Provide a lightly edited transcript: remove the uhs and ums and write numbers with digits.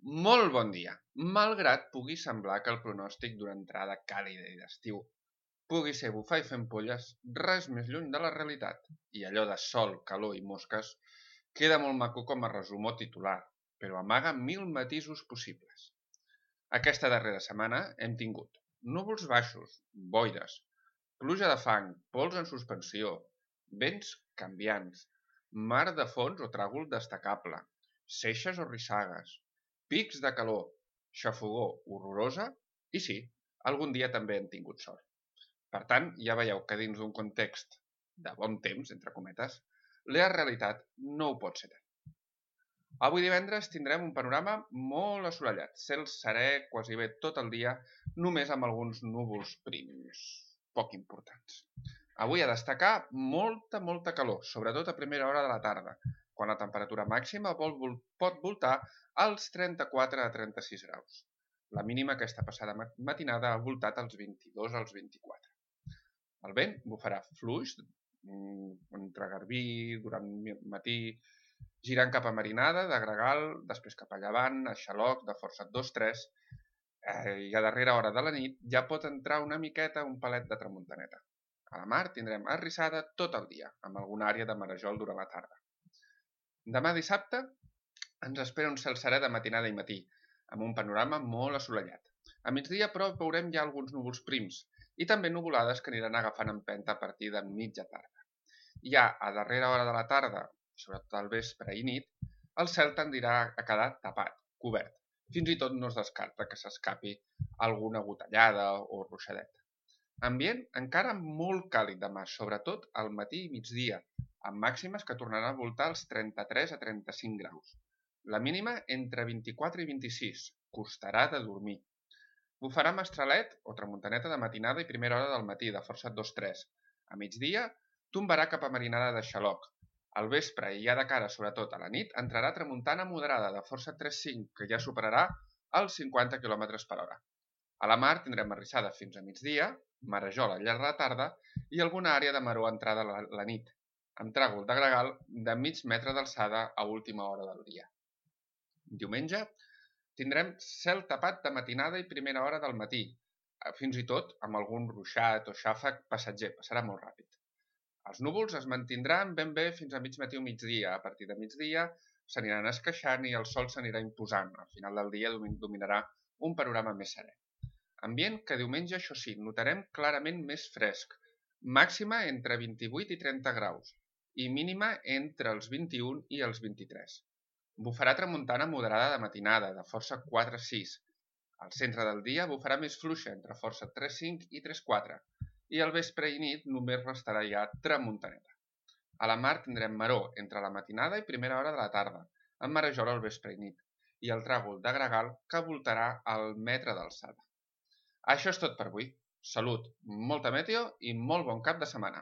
Molt bon dia. Malgrat pugui semblar que el pronòstic d'una entrada càlida i d'estiu pugui ser bufar i fer ampolles, res més lluny de la realitat. I allò de sol, calor i mosques queda molt maco com a resum o titular, però amaga 1000 matisos possibles. Aquesta darrera setmana hem tingut núvols baixos, boires, pluja de fang, pols en suspensió, vents canviants, mar de fons o tràgol destacable, seixes o rissagues, pics de calor, xafogor horrorosa i sí, algun dia també hem tingut sort. Per tant, ja veieu que dins d'un context de bon temps, entre cometes, la realitat no ho pot ser tant. Avui divendres tindrem un panorama molt assolellat, cel serè quasi bé tot el dia, només amb alguns núvols prims, poc importants. Avui a destacar molta calor, sobretot a primera hora de la tarda, quan la temperatura màxima pot voltar als 34 a 36 graus. La mínima aquesta passada matinada ha voltat als 22 als 24. El vent bufarà fluix entre Garbí durant el matí, girant cap a Marinada, de Gregal, després cap a Llevant, a Xaloc, de força 2-3, i a darrera hora de la nit ja pot entrar una miqueta un palet de tramuntaneta. A la mar tindrem arrissada tot el dia, amb alguna àrea de marejol durant la tarda. Demà dissabte ens espera un cel serè de matinada i matí, amb un panorama molt assolellat. A migdia, però, veurem ja alguns núvols prims i també nuvolades que aniran agafant empenta a partir de mitja tarda. Ja a darrera hora de la tarda, sobretot al vespre i nit, el cel tendirà a quedar tapat, cobert. Fins i tot no es descarta que s'escapi alguna gotellada o ruixadet. Ambient encara molt càlid demà, sobretot al matí i migdia, amb màximes que tornaran a voltar als 33 a 35 graus. La mínima entre 24 i 26, costarà de dormir. Bufarà mestralet o tramuntaneta de matinada i primera hora del matí, de força 2-3. A migdia, tombarà cap a Marinada de Xaloc. Al vespre i ja de cara, sobretot a la nit, entrarà tramuntana moderada de força 3-5, que ja superarà els 50 km per hora. A la mar tindrem arrissada fins a migdia, marejol al llarg de la tarda i alguna àrea de maror entrada a la nit, amb tràgol de gregal de mig metre d'alçada a última hora del dia. Diumenge tindrem cel tapat de matinada i primera hora del matí, fins i tot amb algun ruixat o xàfec passatger, passarà molt ràpid. Els núvols es mantindran ben bé fins a mig matí o migdia. A partir de migdia s'aniran esqueixant i el sol s'anirà imposant. Al final del dia dominarà un panorama més serè. Ambient que diumenge, això sí, notarem clarament més fresc, màxima entre 28 i 30 graus i mínima entre els 21 i els 23. Bufarà tramuntana moderada de matinada, de força 4-6. Al centre del dia bufarà més fluixa, entre força 3-5 i 3-4, i al vespre i nit només restarà ja tramuntaneta. A la mar tindrem maror entre la matinada i primera hora de la tarda, amb marejol al vespre i nit, i el tràgol de gregal que voltarà al metre d'alçada. Això és tot per avui. Salut, molta meteo i molt bon cap de setmana.